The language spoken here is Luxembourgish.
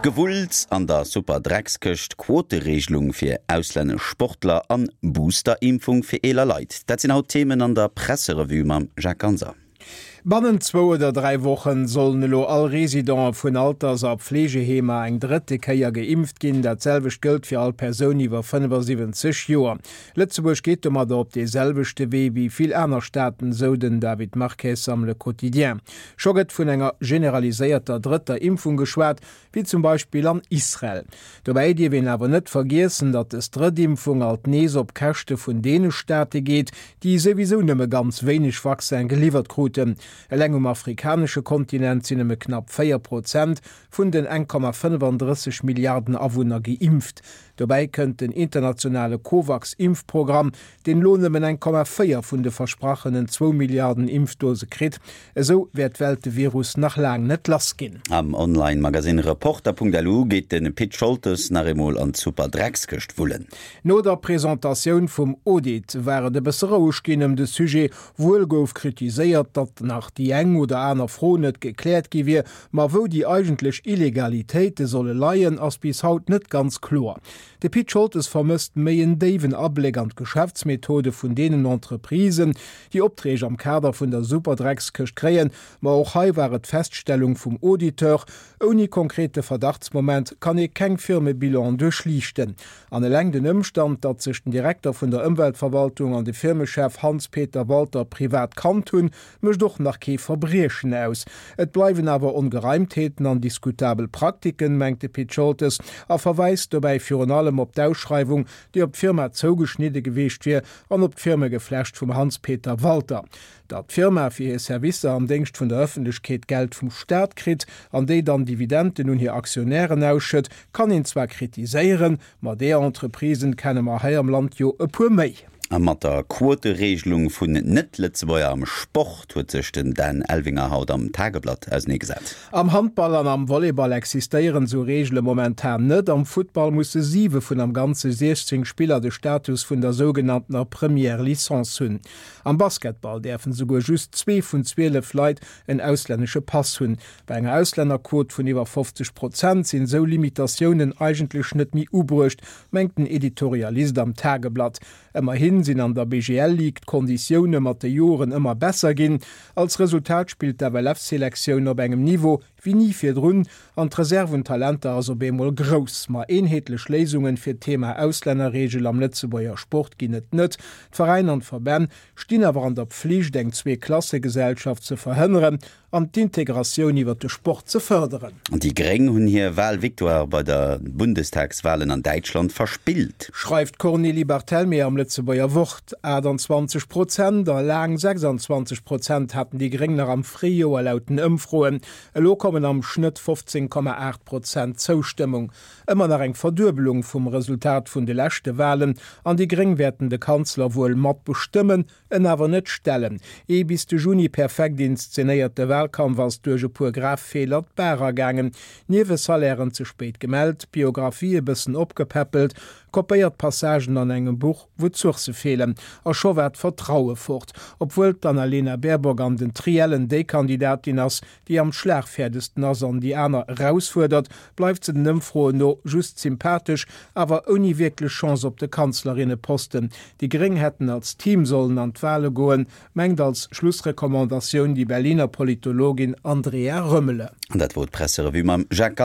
Gewulls an der Superdreckskëscht, Quotereegelung fir auslännesch Sportler an Booster-Impfung fir eeler Leit, dat sinn haut d'Themen an der Presserevue mam Jacques Ganser. Bannent zwou oder 3 Wochen sollen elo all Residente vun Alters a Pfleegeheemer eng drëtte Kéier geimpft ginn. Dat selwecht gëllt fir all Persoun iwwer 75 Joer. Lëtzebuerg geet domadder op dee selwechte Wee wéi vill aner Staaten, sou den David Marques am Le Quotidien. Scho gëtt vun enger generaliséierter drëtter Impfung geschwat, wéi zum Beispill an Israel. Dobäi dierf een awer net vergiessen, datt des drëtt Impfung alt nees op Käschte vun deene Staate geet, déi souwisou nëmme ganz wéineg Vaccin geliwwert kruten. Eleng um afrikanesche Kontinent sinn nëmme knapp 4 Prozent vun den 1,35 Milliarden Awunner geimpft. Dobäi kënnt den internationale Covax-Impfprogramm, deen elo nëmmen 1,4 vun de versprachenen zwou Milliarden Impfdose kritt. Esou wäert d'Welt de Virus nach laang net lass ginn. Am Online-Magasinn Reporter.lu geet de Pit Scholtes nach eemol an d'Superdreckskëscht wullen. No der Presentatioun vum Audit war et e bësse roueg ginn ëm de Sujet. Wuel gouf kritiséiert, datt nach déi eng oder aner Fro net gekläert gi wier, ma wou déi eigentlech Illegalitéite solle leien, ass bis haut net ganz kloer. De Pit Scholtes vermësst méi en déiwen Abléck an d'Geschäftsmethode vun deenen Entreprisen, déi Opträg am Kader vun der Superdreckskëscht kréien. Ma och hei war et d'Feststellung vum Auditeur, Ouni konkrete Verdachtsmoment kann ee keng Firmebilan duerchliichten. An eleng den Ëmstand, datt sech den Direkter vun der Ëmweltverwaltung an de Firmechef Hans-Peter Walter privat kannt hunn, mécht och nach kee Verbriechen aus. Et bleiwen awer Ongereimtheeten an diskutabel Praktiken, mengt de Pit Scholtes a verweist dobäi virun allem op d'Ausschreiwung, déi op d'Firma zougeschnidde geweecht wier an op d'Firmegeflecht vum Hans-Peter Walter. Datt d'Firma fir hir Servicer am Déngscht vun der Ëffentlechkeet Geld vum Staat kritt an déi dann Dividenden un hir Aktionären ausschëtt, kann een zwar kritiséieren, ma deeër Entreprisen kenne mer hei am Land jo e puer méi. A mat der Quotereegelung vun Net-Lëtzebuerger am Sport huet sech den Dan Elvinger haut am Tageblatt auseneegesat. Am Handball an am Volleyball existéieren esou Reegele momentan net. Am Futtball musse siwe vun am Ganze 16 Spiller de Status vun der sougenanntener Première Licence hunn. Am Basketball däerfen esouguer just zwee vun 12 Leit en auslännesche Pass hunn. Bei enger Auslännerquot vun iwwer 50 Prozent sinn esou Limitatiounen eigentlech net méi ubruecht, mengt den Editorialist am Tageblatt. Ëmmerhin sinn an der BGL-Ligue d'Konditioune mat de Joren ëmmer besser ginn. Als Resultat spillt d'FLF-Selektioun op engem Niveau wéi ni virdrun an d'Reserv un Talenter ass op eemol grouss. Ma eenheetlech Léisungen fir d'Thema Auslännerreegel am Lëtzebuerger Sport ginn et net. D'Veräin an d'Verbänn stinn awer an der Pflicht eng Zweeklassegesellschaft ze verhënneren an d'Integratioun iwwer de Sport ze fërderen. Déi Gréng hunn hir Wahlvictoire bei der Bundestagswahlen an Däitschland verspillt. Schreift d'Cornélie Barthelmé am Lëtzebuerger Wort. 28 Prozent a laang 26 Prozent haten déi Gréng nach am Fréijoer laut den Ëmfroen. Elo kommen am Schnëtt 15,8 Prozent Zoustëmmung. Ëmmer nach eng Verduebelung vum Resultat vun de leschte Wahlen an déi Gréng wäerten de Kanzler wuel mat bestëmmen, En awer net stellen. Ee bis de Juni perfekt inszenéierte Wahlkampf ass duerch e puer grav Feeler d'Baach agaangen. Niewesalairen ze spéit gemellt, Biographie e bëssen opgepäppelt, kopéiert Passagen an engem Buch, wou d'Sourcë feelen. A scho war d'Vertraue fort. Obwuel d'Annalena Baerbock an den Triellen déi Kandidatin ass, déi am schlagfäerdegsten ass an déi aner erausfuerdert, bleift se den Ëmfroen no just sympathesch, awer ouni wierklech Chance op de Kanzlerinneposten. Déi Gréng hätten als Team sollen an d'Wale goen, mengt als Schlussrecommandatioun déi Berliner Politologin Andrea Römmele. An dat wor d'Presserevue mam Jacques.